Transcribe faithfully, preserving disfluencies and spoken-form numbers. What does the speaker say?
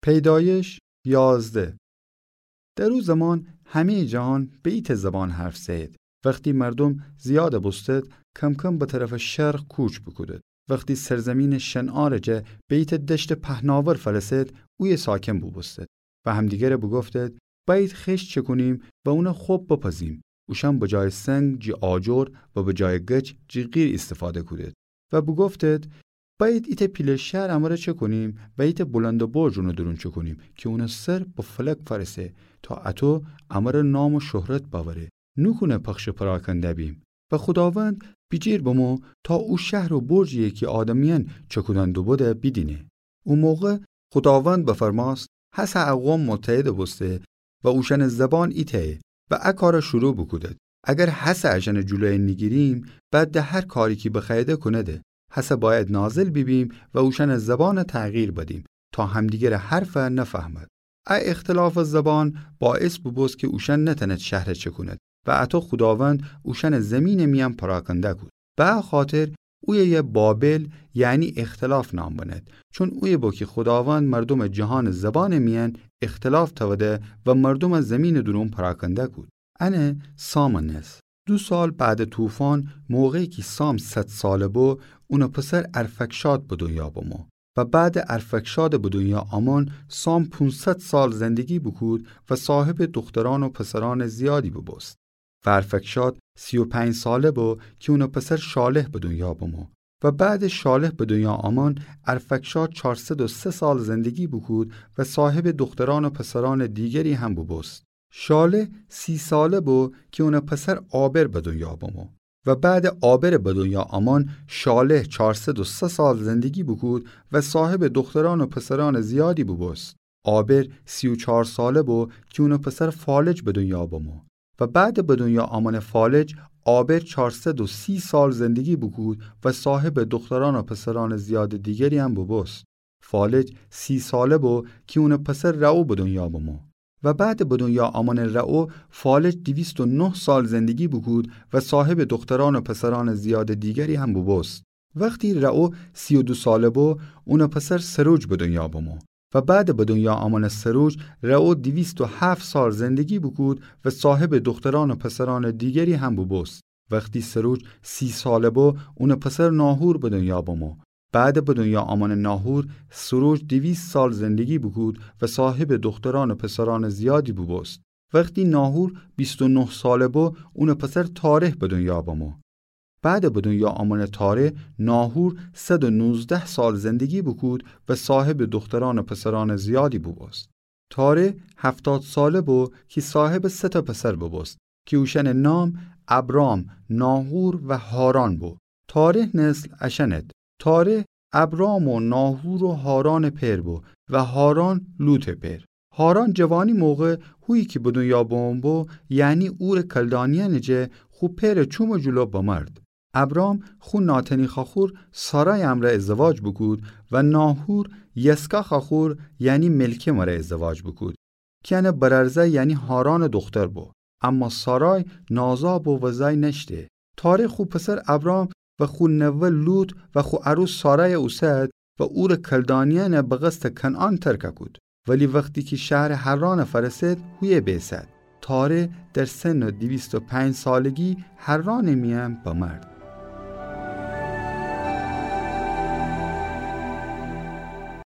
پیدایش یازده. در او زمان همه‌یٚ جهان به ایتأ زبان حرف زأیید. وختی مردوم زیاد بوستد، کم‌کم به طرفٚ شرق کوچ بوکودد. وختی سرزیمینٚ شنعارٚ جا به ایتأ دشتٚ پهناور فأرسد، اویه ساکن بوبوستد و همدیگره بوگفتد: بأیید خشت چکونیم و اون خب بپزیم. اوشأن به جایٚ سنگ جی آجر و به جایٚ گچ جی قیر ایستفاده کودد. و بوگفتد: بأیید ایتأ پیله شهر امره چکونیم و ایتأ بلندٚ برج اونٚ دورون چکونیم کی اونٚ سر به فلک فأرسه، تا اطو امره نام و شهرت بأوره. نوکونه پخشٚ پراکنده بیم. و خوداوند بیجیر بمو تا او شهر و برجی‌یی کی آدمیأن چکودن دوبوده بیدینه. او موقع خوداوند بفرمأست: هسه ا قوم متحد بوسته و اوشأنٚ زبان ایتأیه و ا کار شروع بوکودد. اگر هسه اشأنٚ جلویه نیگیریم، بعد د هر کاری کی بخوأییده کونده. هسه بأید نازل بیبیم و اوشأنٚ زبان تغییر بدیم تا همدیگرٚ حرف نفهمد. ا اختلافٚ زبان باعث بوبوست کی اوشأن نتأند شهر چکوند و اطو خوداوند اوشأن زیمینٚ میأن پراکنده کود. به ا خاطر اویه بابل، یعنی اختلاف نام بنهد، چون اویه بو کی خوداوند مردومٚ جهانٚ زبانٚ میأن اختلاف تأوده و مردوم زیمینٚ دورون پراکنده کود. انه سامٚ نسل. دو سال بعدٚ طوفان، موقعی کی سام صد ساله بو، اونٚ پسر ارفکشاد به دنیا بمو. و بعدٚ ارفکشادٚ به دنیا آمون، سام پونصد سال زندگی بوکود و صاحبٚ دخترأن و پسرأنٚ زیادی بوبوست. و ارفکشاد سی و پنج ساله بو کی اونٚ پسر شالح به دنیا بمو. و بعدٚ شالح به دنیا آمون، ارفکشاد چارصد و سه سال زندگی بوکود و صاحبٚ دخترأن و پسرأنٚ دیگری هم بوبوست. شالح سی ساله بو کی اونٚ پسر عابر به دنیا بمو. و بعدٚ عابرٚ به دنیا آمون، شالح چارصد و سه سال زندگی بوکود و صاحبٚ دخترأن و پسرأنٚ زیادی بوبوست. عابر سی و چار ساله بو کی اونٚ پسر فالج به دنیا بمو. و بعدٚ به دنیا آمونٚ فالج، عابر چارصد و سی سال زندگی بوکود و صاحبٚ دخترأن و پسرأنٚ زیادٚ دیگری هم بوبوست. فالج سی ساله بو کی اونٚ پسر رعو به دنیا بمو. و بعدٚ به دنیا آمونٚ رعو، فالج دویست و نه سال زندگی بوکود و صاحبٚ دخترأن و پسرأنٚ زیادٚ دیگری هم بوبوست. وختی رعو سی و دو ساله بو، اونٚ پسر سروج به دنیا بمو. و بعدٚ به دنیا آمونٚ سروج، رعو دویست و هفت سال زندگی بوکود و صاحبٚ دخترأن و پسرأنٚ دیگری هم بوبوست. وختی سروج سی ساله بو، اونٚ پسر ناحور به دنیا بمو. بعدٚ به دنیا آمونٚ ناحور، سروج دویست سال زندگی بوکود و صاحبٚ دخترأن و پسرأنٚ زیادی بوبوست. وختی ناحور بیست و نه ساله بو، اونٚ پسر تارح به دنیا بمو. بعدٚ به دنیا آمونٚ تارح، ناحور صد و نوزده سال زندگی بوکود و صاحبٚ دخترأن و پسرأنٚ زیادی بوبوست. تارح هفتاد ساله بو کی صاحبٚ سه تا پسر بوبوست کی اوشأنٚ نام ابرام، ناحور و حاران بو. تارح نسل اشأنت: تارح ابرام و ناحور و حارانٚ پئر بو و حاران لوطٚ پئر. حاران جوانی موقع هویی کی به دنیا بمو بو، یعنی اورٚ کلدانیأنٚ جه، خو پئرٚ چومٚ جلو بمرد. ابرام خو ناتنی خوأخور سارای امرأ ازدواج بوکود و ناحور یسکا خوأخور، یعنی ملکه مره ازدواج بوکود کی انٚ برأرزأی یعنی حارانٚ دوختر بو. اما سارای نازا بو و زأی نأشته. تارح خو پسر ابرام و خو نوه لوط و خو عروس سارای اوسد و اورٚ کلدانیأن به قصدٚ کنعان ترک کود. ولی وختی کی شهرٚ حران فأرسد، هویه بیسد. تارح در سنٚ دویست و پنج سالگی حرانٚ میأن بمرد.